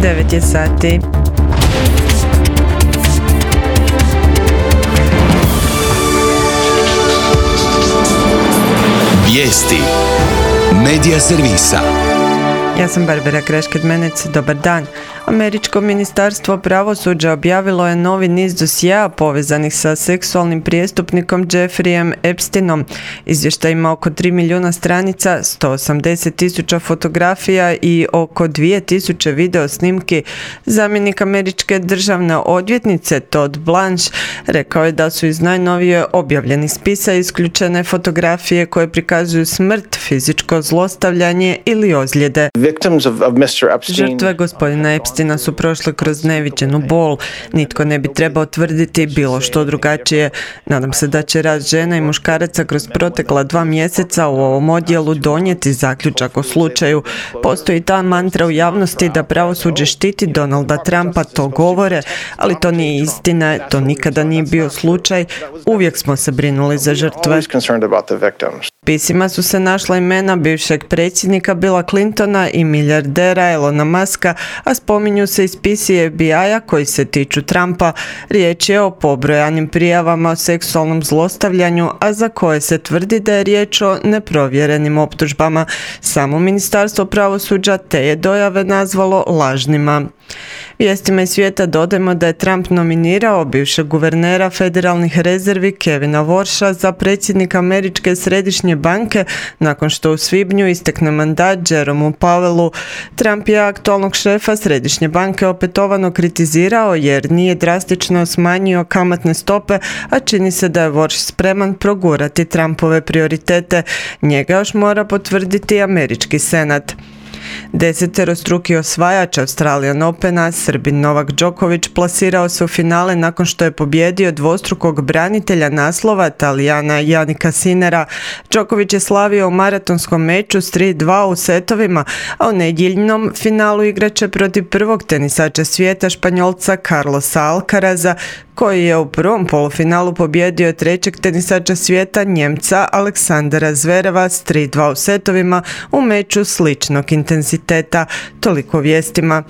9 je sati. Vijesti Medija servisa. Ja sam Barbara Grešket-Menec, dobar dan. Američko ministarstvo pravosuđa objavilo je novi niz dosjea povezanih sa seksualnim prijestupnikom Jeffreyem Epsteinom. Izvještaj ima oko 3 milijuna stranica, 180.000 fotografija i oko 2.000 video snimki. Zamjenik američke državne odvjetnice Todd Blanche rekao je da su iz najnovije objavljenih spisa isključene fotografije koje prikazuju smrt, fizičko zlostavljanje ili ozljede. Žrtve gospodina Epsteina su prošle kroz neviđenu bol. Nitko ne bi trebao tvrditi bilo što drugačije. Nadam se da će rad žena i muškaraca kroz protekla 2 mjeseca u ovom odjelu donijeti zaključak o slučaju. Postoji ta mantra u javnosti da pravosuđe štiti Donalda Trumpa, to govore, ali to nije istina, to nikada nije bio slučaj. Uvijek smo se brinuli za žrtve. Pisima su se našla imena bivšeg predsjednika Billa Clintona i milijardera Elona Muska, a spominju se i spisi FBI-a koji se tiču Trumpa. Riječ je o pobrojanim prijavama o seksualnom zlostavljanju, a za koje se tvrdi da je riječ o neprovjerenim optužbama. Samo ministarstvo pravosuđa te je dojave nazvalo lažnima. Vijestima iz svijeta dodajemo da je Trump nominirao bivšeg guvernera federalnih rezervi Kevina Warsha za predsjednika Američke središnje banke nakon što u svibnju istekne mandat Jeromeu Powellu. Trump je aktualnog šefa središnje banke opetovano kritizirao jer nije drastično smanjio kamatne stope, a čini se da je Warsh spreman progurati Trumpove prioritete. Njega još mora potvrditi američki senat. 10-struki osvajač Australian Opena, Srbin Novak Đoković, plasirao se u finale nakon što je pobijedio dvostrukog branitelja naslova Talijana Jannika Sinnera. Đoković je slavio u maratonskom meču s 3-2 u setovima, a u nedjeljnom finalu igraće protiv prvog tenisača svijeta, Španjolca Carlosa Alcaraza, koji je u prvom polufinalu pobjedio trećeg tenisača svijeta, Njemca Aleksandra Zvereva s 3-2 u setovima u meču sličnog intenziteta. Toliko vijestima.